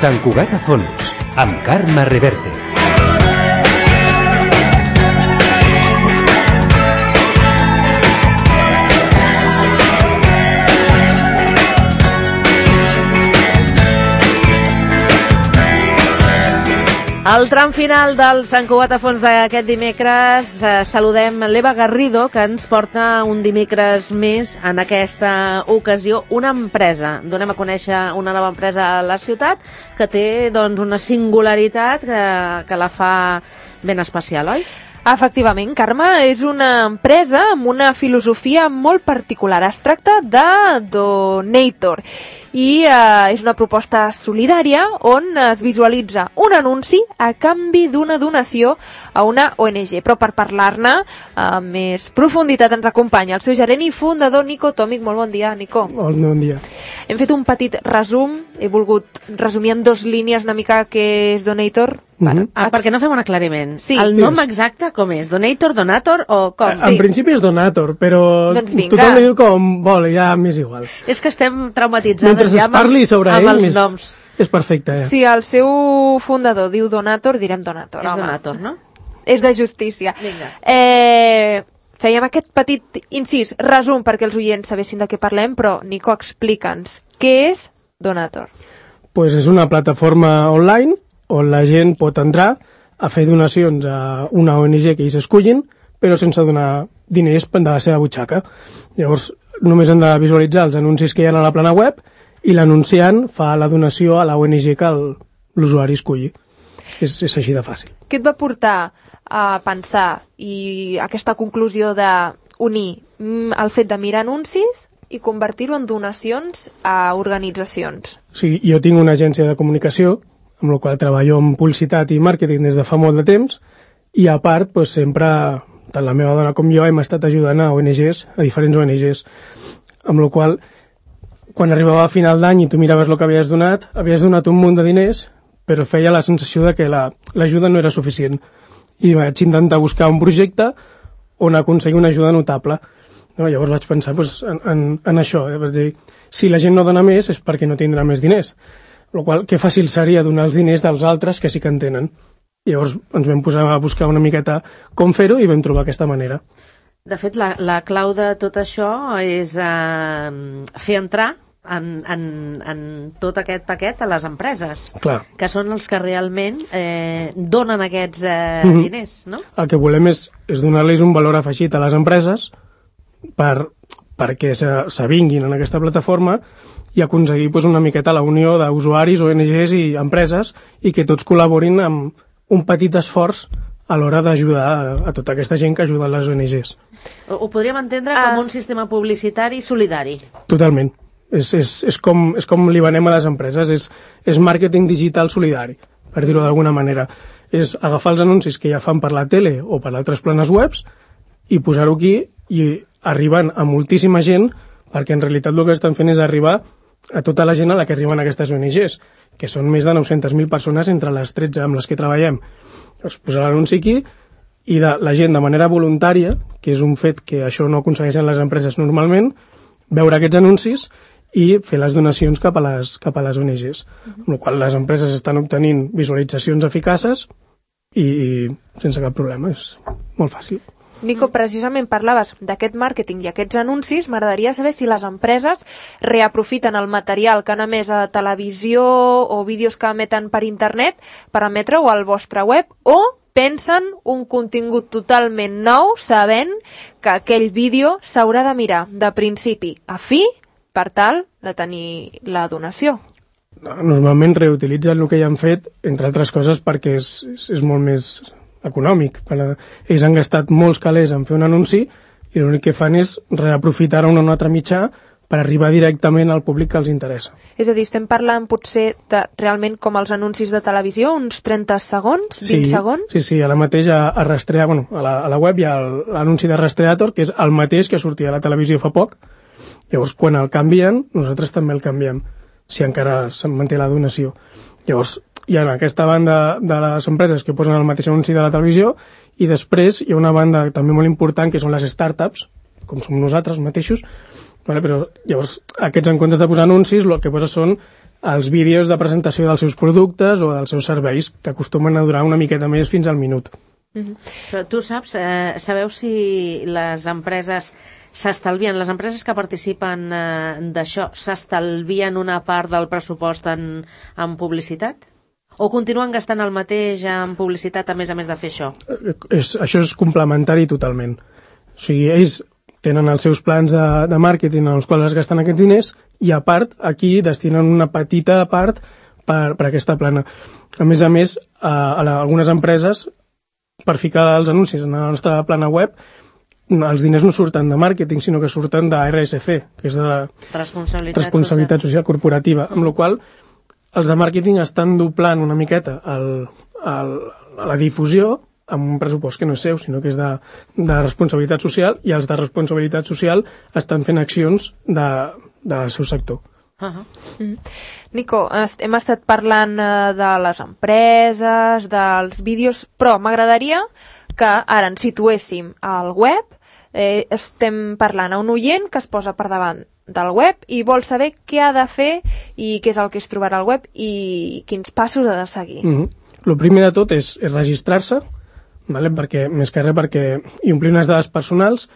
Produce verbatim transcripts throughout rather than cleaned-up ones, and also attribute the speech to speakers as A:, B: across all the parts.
A: Sant Cugat a fons, amb Carme Reverte.
B: Al tram final del Sant Cugat a fons d'aquest dimecres eh, saludem l'Eva Garrido, que ens porta un dimecres més en aquesta ocasió una empresa. Donem a conèixer una nova empresa a la ciutat que té doncs, una singularitat que, que la fa ben especial, oi?
C: Efectivament, Carme, és una empresa amb una filosofia molt particular. Es tracta de Donator i eh, és una proposta solidària on es visualitza un anunci a canvi d'una donació a una O N G. Però per parlar-ne amb més profunditat ens acompanya el seu gerent i fundador, Nico Tòmic. Molt bon dia, Nico.
D: Molt bon dia.
C: Hem fet un petit resum, he volgut resumir en dos línies una mica què és Donator.
B: Bueno, ah, perquè no fem un aclariment.
C: Sí.
B: El nom exacte com és? Donator, Donator o com?
D: En sí. principi és Donator, però
C: doncs
D: tothom li diu com vol, ja m'és igual.
B: És que estem traumatitzades
D: Mentre
B: ja amb,
D: els, sobre
B: amb
D: ell,
B: els
D: és,
B: noms.
D: És perfecte. Eh?
C: Si el seu fundador diu Donator, direm Donator.
B: És
C: home.
B: Donator, no?
C: És de justícia.
B: Vinga.
C: Eh, fèiem aquest petit incís, resum, perquè els oients sabessin de què parlem, però Nico, explica'ns, què és Donator?
D: Pues és una plataforma online on la gent pot entrar a fer donacions a una O N G que ells escullin, però sense donar diners de la seva butxaca. Llavors, només han de visualitzar els anuncis que hi ha a la plana web i l'anunciant fa la donació a la O N G que l'usuari esculli. És, és així de fàcil.
C: Què et va portar a pensar i aquesta conclusió d'unir el fet de mirar anuncis i convertir-ho en donacions a organitzacions?
D: Sí, jo tinc una agència de comunicació amb la qual treballo en publicitat i màrqueting des de fa molt de temps, i a part, doncs, sempre, tant la meva dona com jo, hem estat ajudant a O N Ges, a diferents O N Ges, amb la qual, quan arribava a final d'any i tu miraves el que havies donat, havies donat un munt de diners, però feia la sensació de que l'ajuda la, no era suficient. I vaig intentar buscar un projecte on aconseguir una ajuda notable. No? Llavors vaig pensar doncs, en, en, en això, eh? És dir, si la gent no dona més és perquè no tindrà més diners. El qual, que fàcil seria donar els diners dels altres que sí que en tenen. Llavors ens vam posar a buscar una miqueta com fer-ho i vam trobar aquesta manera.
B: De fet, la, la clau de tot això és eh, fer entrar en, en, en tot aquest paquet a les empreses,
D: Clar.
B: que són els que realment eh, donen aquests eh,
D: mm-hmm.
B: diners, no?
D: El que volem és, és donar-los un valor afegit a les empreses per, perquè s'avinguin en aquesta plataforma i aconseguir pues, una miqueta la unió d'usuaris, O N Ges i empreses i que tots col·laborin amb un petit esforç a l'hora d'ajudar a, a tota aquesta gent que ajuda les O N Ges.
B: Ho, ho podríem entendre com uh... un sistema publicitari solidari.
D: Totalment. És, és, és, com, és com li venem a les empreses, és, és màrqueting digital solidari, per dir-ho d'alguna manera. És agafar els anuncis que ja fan per la tele o per altres planes webs i posar-ho aquí i arribant a moltíssima gent, perquè en realitat el que estan fent és arribar a tota la gent a la que arriben aquestes O N Ges, que són més de nou-centes mil persones entre les tretze amb les que treballem. Llavors, posar l'anunci aquí i de, la gent de manera voluntària, que és un fet que això no aconsegueixen les empreses normalment, veure aquests anuncis i fer les donacions cap a les, cap a les O N Ges. Uh-huh. Amb la qual les empreses estan obtenint visualitzacions eficaces i, i sense cap problema. És molt fàcil.
C: Nico, precisament parlaves d'aquest màrqueting i aquests anuncis. M'agradaria saber si les empreses reaprofiten el material que han emès a televisió o vídeos que emeten per internet per emetre-ho al vostre web, o pensen un contingut totalment nou sabent que aquell vídeo s'haurà de mirar de principi a fi per tal de tenir la donació.
D: Normalment reutilitzen el que ja han fet, entre altres coses perquè és, és, és molt més econòmic. Ells han gastat molts calés en fer un anunci i l'únic que fan és reaprofitar un o un altre mitjà per arribar directament al públic que els interessa.
C: És a dir, estem parlant potser de realment com els anuncis de televisió, uns trenta segons, vint
D: sí,
C: segons?
D: Sí, sí, ara mateix a, a Rastrear, bueno, a la, a la web hi ha l'anunci de Rastreator, que és el mateix que sortia a la televisió fa poc. Llavors, quan el canvien, nosaltres també el canviem, si encara se'n manté la donació. Llavors, hi ha aquesta banda de les empreses que posen el mateix anunci de la televisió i després hi ha una banda també molt important que són les startups, com som nosaltres mateixos, vale? Però llavors aquests en comptes de posar anuncis el que posa són els vídeos de presentació dels seus productes o dels seus serveis, que acostumen a durar una miqueta més fins al minut.
B: Mm-hmm. Però tu saps, eh, sabeu si les empreses s'estalvien, les empreses que participen eh, d'això, s'estalvien una part del pressupost en, en publicitat? O continuen gastant el mateix en publicitat a més a més de fer això?
D: És, això és complementari totalment. O sigui, ells tenen els seus plans de, de màrqueting en els quals es gasten aquests diners i a part aquí destinen una petita part per, per aquesta plana. A més a més, a, a la, algunes empreses, per ficar els anuncis en la nostra plana web, els diners no surten de màrqueting, sinó que surten de R S C, que és de la
B: responsabilitat,
D: responsabilitat social corporativa, amb la qual els de màrqueting estan doblant una miqueta el, el, la difusió amb un pressupost que no és seu, sinó que és de, de responsabilitat social, i els de responsabilitat social estan fent accions de, del seu sector.
B: Uh-huh.
C: Mm. Nico, est hem estat parlant eh, de les empreses, dels vídeos, però m'agradaria que ara ens situéssim al web. Eh, estem parlant a un oient que es posa per davant del web i vol saber què ha de fer i què és el que es trobarà al web i quins passos ha de seguir.
D: Mm-hmm. El primer de tot és, és registrar-se, vale? Perquè, més que res perquè hi omplir unes dades personals,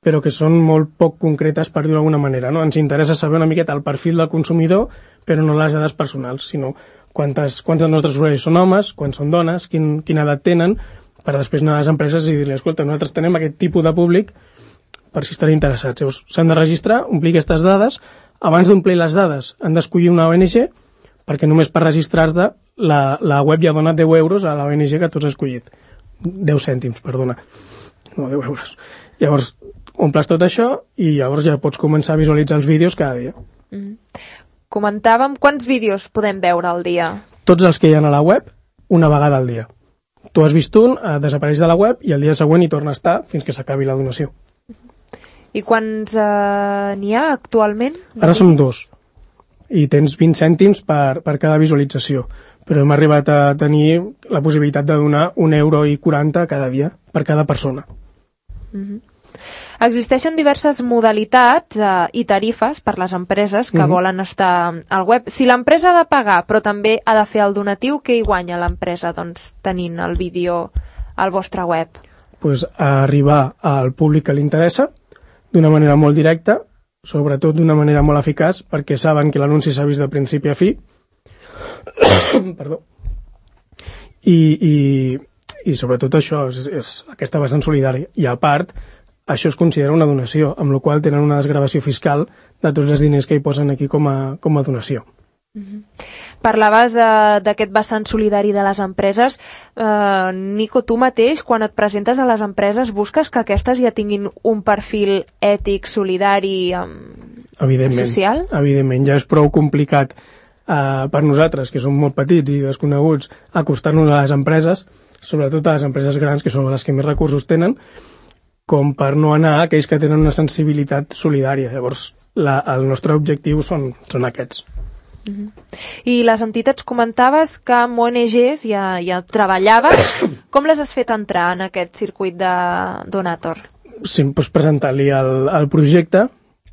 D: però que són molt poc concretes, per dir-ho d'alguna manera. No? Ens interessa saber una miqueta el perfil del consumidor, però no les dades personals, sinó quantes, quants dels nostres usuaris són homes, quants són dones, quin, quina edat tenen, per després anar a les empreses i dir-li, escolta, nosaltres tenem aquest tipus de públic per si estan interessats. Llavors, s'han de registrar, omplir aquestes dades. Abans d'omplir les dades, han d'escollir una O N G, perquè només per registrar-te la, la web ja dona deu euros a la O N G que tu has escollit. deu cèntims, perdona. No, deu euros. Llavors, omples tot això i llavors ja pots començar a visualitzar els vídeos cada dia.
C: Mm. Comentàvem quants vídeos podem veure al dia?
D: Tots els que hi ha a la web, una vegada al dia. Tu has vist un, eh, desapareix de la web i el dia següent hi torna a estar fins que s'acabi la donació.
C: I quants eh, n'hi ha actualment?
D: Ara som dos i tens vint cèntims per, per cada visualització, però hem arribat a tenir la possibilitat de donar un euro i quaranta cada dia per cada persona.
C: Mm-hmm. Existeixen diverses modalitats eh, i tarifes per les empreses que mm-hmm. volen estar al web. Si l'empresa ha de pagar però també ha de fer el donatiu, què hi guanya l'empresa doncs, tenint el vídeo al vostre web?
D: Pues arribar al públic que li interessa d'una manera molt directa, sobretot d'una manera molt eficaç, perquè saben que l'anunci s'ha vist de principi a fi. Perdó. I, i, i sobretot això és, és aquesta vessant solidària. I a part, això es considera una donació, amb la qual tenen una desgravació fiscal de tots els diners que hi posen aquí com a, com a donació.
C: Mm-hmm. Parlaves eh, d'aquest vessant solidari de les empreses. eh, Nico, tu mateix quan et presentes a les empreses busques que aquestes ja tinguin un perfil ètic, solidari, eh,
D: evidentment,
C: social?
D: Evidentment, ja és prou complicat eh, per nosaltres, que som molt petits i desconeguts, acostar-nos a les empreses, sobretot a les empreses grans, que són les que més recursos tenen, com per no anar a aquells que tenen una sensibilitat solidària. Llavors, la, el nostre objectiu són, són aquests.
C: Uh-huh. I les entitats, comentaves que amb O N Ges ja, ja treballaves. Com les has fet entrar en aquest circuit de Donator?
D: Sí, doncs presentar-li el, el projecte.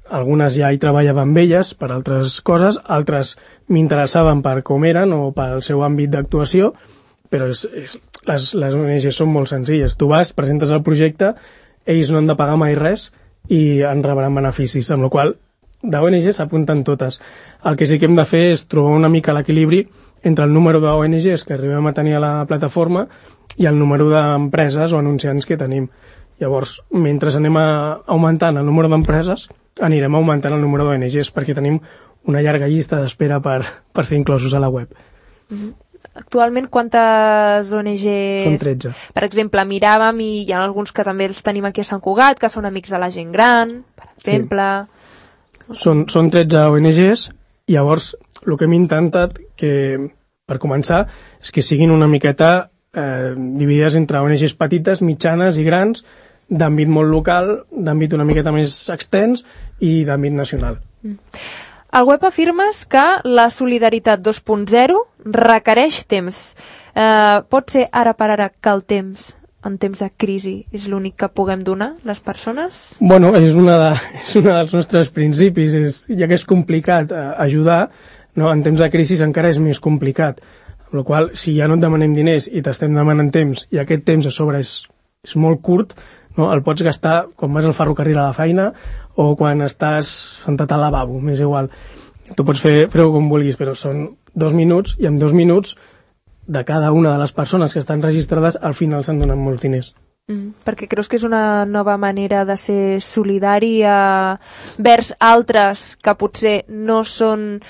D: Algunes ja hi treballava amb elles per altres coses, altres m'interessaven per com eren o pel seu àmbit d'actuació, però és, és, les, les O N Ges són molt senzilles. Tu vas, presentes el projecte, ells no han de pagar mai res i en rebran beneficis, amb la qual d'O N Ges s'apunten totes. El que sí que hem de fer és trobar una mica l'equilibri entre el número d'O N Ges que arribem a tenir a la plataforma i el número d'empreses o anunciants que tenim. Llavors, mentre anem a augmentant el número d'empreses, anirem augmentant el número d'O N Ges perquè tenim una llarga llista d'espera per, per ser inclosos a la web.
C: Mm-hmm. Actualment, quantes O N Ges...
D: Són tretze.
C: Per exemple, miràvem i hi ha alguns que també els tenim aquí a Sant Cugat, que són amics de la gent gran, per exemple...
D: Sí. Són, són tretze O N Ges, i llavors el que hem intentat, que per començar, és que siguin una miqueta eh, dividides entre O N Ges petites, mitjanes i grans, d'àmbit molt local, d'àmbit una miqueta més extens i d'àmbit nacional.
C: Mm. Al web afirmes que la solidaritat dos punt zero requereix temps. Eh, pot ser ara per ara que el temps, en temps de crisi, és l'únic que puguem donar les persones?
D: Bueno, és una, de, és una dels nostres principis. És, ja que és complicat eh, ajudar, no? En temps de crisi encara és més complicat, amb la qual si ja no et demanem diners i t'estem demanant temps i aquest temps a sobre és, és molt curt, no? El pots gastar quan vas al ferrocarril a la feina o quan estàs sentat al lavabo, m'és igual. Tu pots fer, fer-ho com vulguis, però són dos minuts i en dos minuts de cada una de les persones que estan registrades al final se'n donen molts diners.
C: Mm, perquè creus que és una nova manera de ser solidari eh, vers altres que potser no són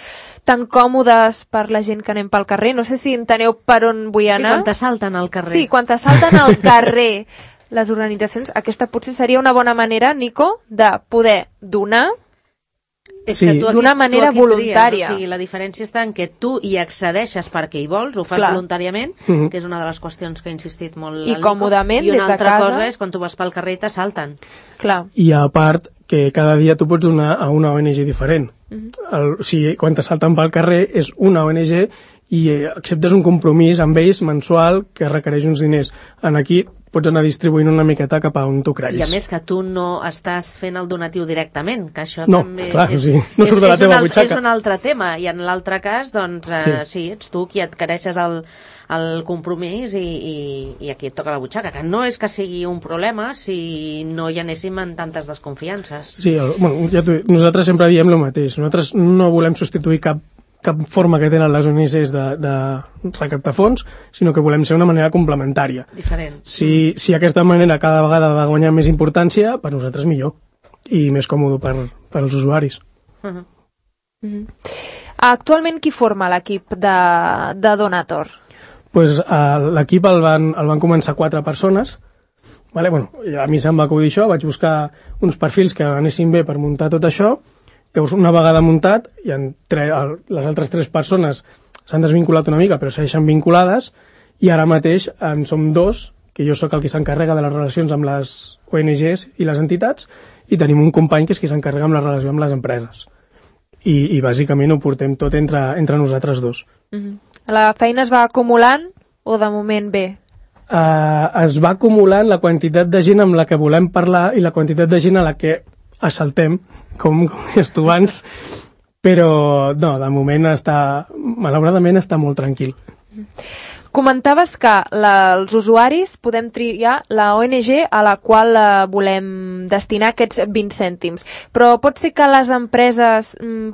C: tan còmodes per la gent que anem pel carrer. No sé si enteneu per on vull anar.
B: Sí, quan t'assalten al carrer.
C: Sí, quan t'assalten al carrer les organitzacions, aquesta potser seria una bona manera, Nico, de poder donar
B: És
D: Sí.
B: que tu aquí-
C: d'una manera
B: tu aquí
C: voluntària.
B: Tries, o sigui, la diferència està en que tu hi accedeixes perquè hi vols, ho fas
C: Clar.
B: voluntàriament,
D: Mhm.
B: que és una de les qüestions que ha insistit molt
C: I
B: el Nico.
C: còmodament,
B: I una
C: des de
B: altra
C: casa.
B: cosa és quan tu vas pel carrer i t'assalten.
C: Clar.
D: I a part que cada dia tu pots donar a una O N G diferent. El, o sigui, quan t'assalten pel carrer és una O N G i eh, acceptes un compromís amb ells mensual que requereix uns diners. En aquí pots anar distribuint una miqueta cap a on tu creguis.
B: I a més que tu no estàs fent el donatiu directament, que això
D: No,
B: també
D: clar,
B: és,
D: o sigui, no surt de la
B: és,
D: teva
B: un al-
D: butxaca.
B: és un altre tema, i en l'altre cas, doncs, eh, sí. sí, ets tu qui adquireixes el, el compromís i, i, i aquí et toca la butxaca, que no és que sigui un problema si no hi anéssim en tantes desconfiances.
D: Sí, el, bueno, ja t'ho- nosaltres sempre diem el mateix. Nosaltres no volem substituir cap cap forma que tenen les O N Gs de, de recaptar fons, sinó que volem ser una manera complementària.
B: Diferent.
D: Si, si aquesta manera cada vegada va guanyar més importància, per nosaltres millor i més còmode per, per als usuaris.
B: Uh -huh.
C: Mm-hmm. Actualment qui forma l'equip de, de Donator?
D: Pues, uh, l'equip el van, el van començar quatre persones. Vale? Bueno, a mi se'm va acudir això, vaig buscar uns perfils que anessin bé per muntar tot això. Llavors, una vegada muntat, i en tre, el, les altres tres persones s'han desvinculat una mica, però segueixen vinculades, i ara mateix en som dos, que jo sóc el que s'encarrega de les relacions amb les O N Gs i les entitats, i tenim un company que és qui s'encarrega amb la relació amb les empreses. I, i bàsicament ho portem tot entre, entre nosaltres dos.
C: Mm-hmm. La feina es va acumulant o de moment bé?
D: Uh, es va acumulant la quantitat de gent amb la que volem parlar i la quantitat de gent a la que assaltem, com, com deies tu abans, però no, de moment està, malauradament està molt tranquil.
C: Comentaves que la, els usuaris podem triar la O N G a la qual eh, volem destinar aquests vint cèntims, però pot ser que les empreses mm,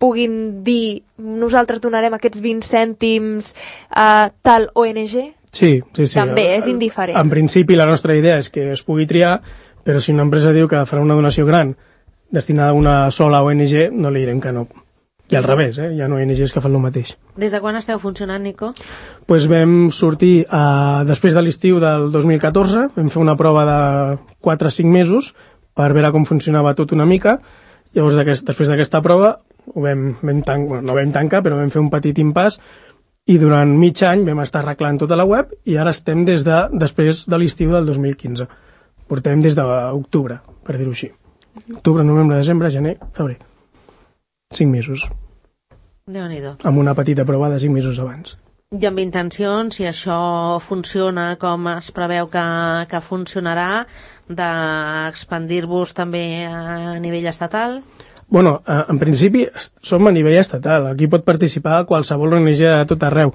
C: puguin dir nosaltres donarem aquests vint cèntims a tal O N G?
D: Sí, sí, sí.
C: També és indiferent.
D: En principi la nostra idea és que es pugui triar, però si una empresa diu que farà una donació gran destinada a una sola O N G, no li direm que no. I al revés, eh? Hi ha O N Gs que fan el mateix.
B: Des de quan esteu funcionant, Nico?
D: Pues vam sortir eh, després de l'estiu del dos mil catorze, vam fer una prova de quatre o cinc mesos per veure com funcionava tot una mica. Llavors, d'aquest, després d'aquesta prova, ho vam, vam tan, bueno, no vam tancar, però vam fer un petit impàs i durant mig any vam estar arreglant tota la web i ara estem des de, després de l'estiu del dos mil quinze. Portem des d'octubre, per dir-ho així. Octubre, novembre, desembre, gener, febrer. Cinc mesos.
B: Déu-n'hi-do.
D: Amb una petita prova de cinc mesos abans.
B: I amb intencions, si això funciona com es preveu que, que funcionarà, d'expandir-vos també a nivell estatal?
D: Bueno, eh, en principi som a nivell estatal. Aquí pot participar qualsevol O N G de tot arreu.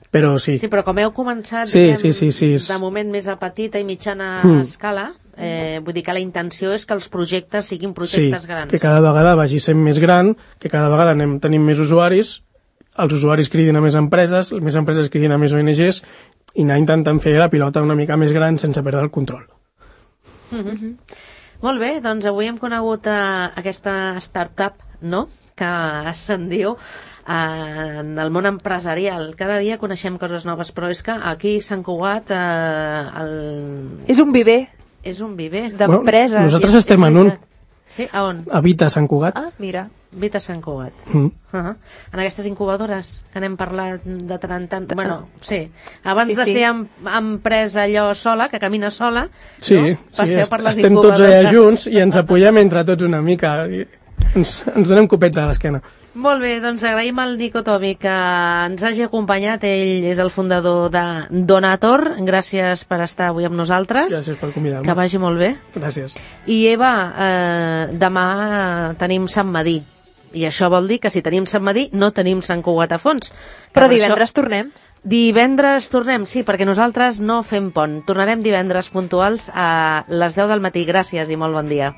D: Però sí.
B: Sí, però com heu començat,
D: Sí,
B: diguem,
D: sí, sí, sí.
B: de moment més a petita i mitjana
D: Mm.
B: escala, eh, vull dir que la intenció és que els projectes siguin
D: Sí,
B: projectes grans.
D: que cada vegada vagi sent més gran, que cada vegada anem tenint més usuaris, els usuaris cridin a més empreses, més empreses cridin a més O N Gs, i anar intentant fer la pilota una mica més gran sense perdre el control.
B: Mm-hmm. Molt bé, doncs avui hem conegut eh, aquesta startup, no?, que se'n diu eh, en el món empresarial. Cada dia coneixem coses noves, però és que aquí a Sant Cugat eh, el...
C: És un viver
B: és un viver.
C: d'empreses.
D: Bueno, nosaltres
B: És-
D: estem
B: és
D: en un.
B: veritat. Sí? A on?
D: Habita Sant Cugat.
C: Ah, mira.
B: Vita Sant Cugat.
D: Mm.
B: Uh -huh. En aquestes incubadores que n'hem parlat de tant en tant. Bueno, sí. Abans
C: Sí,
B: de
C: sí.
B: ser em empresa allò sola, que camina sola,
D: Sí,
B: no?
D: sí,
B: Passeu
D: est
B: per les
D: estem tots allà
B: incubadores.
D: junts i ens apoyem entre tots una mica. I ens, ens donem copets a l'esquena.
B: Molt bé, doncs agraïm al Nico Tomi que ens hagi acompanyat. Ell és el fundador de Donator. Gràcies per estar avui amb nosaltres.
D: Gràcies per convidar-me.
B: Que vagi molt bé.
D: Gràcies.
B: I Eva, eh, demà eh, tenim Sant Madí. I això vol dir que si tenim Sant Medir no tenim Sant Cugat a Fons.
C: Però divendres això... tornem.
B: Divendres tornem, sí, perquè nosaltres no fem pont. Tornarem divendres puntuals a les deu del matí. Gràcies i molt bon dia.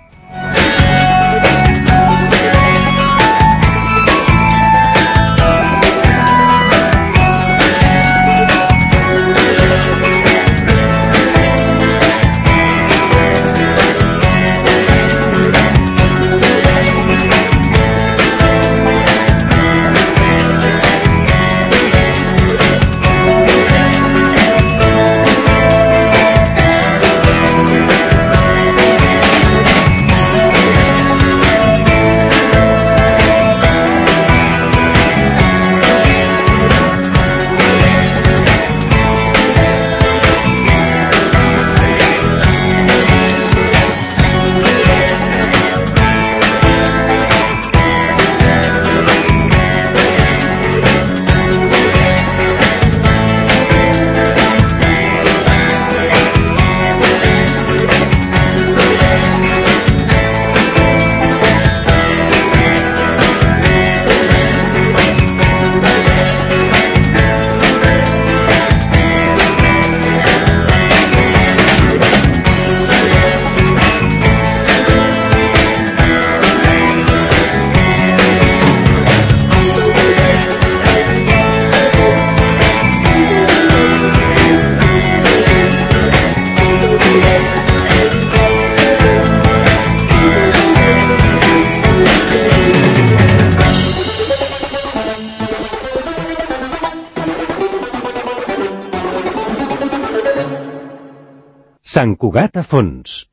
A: Sant Cugat a Fons.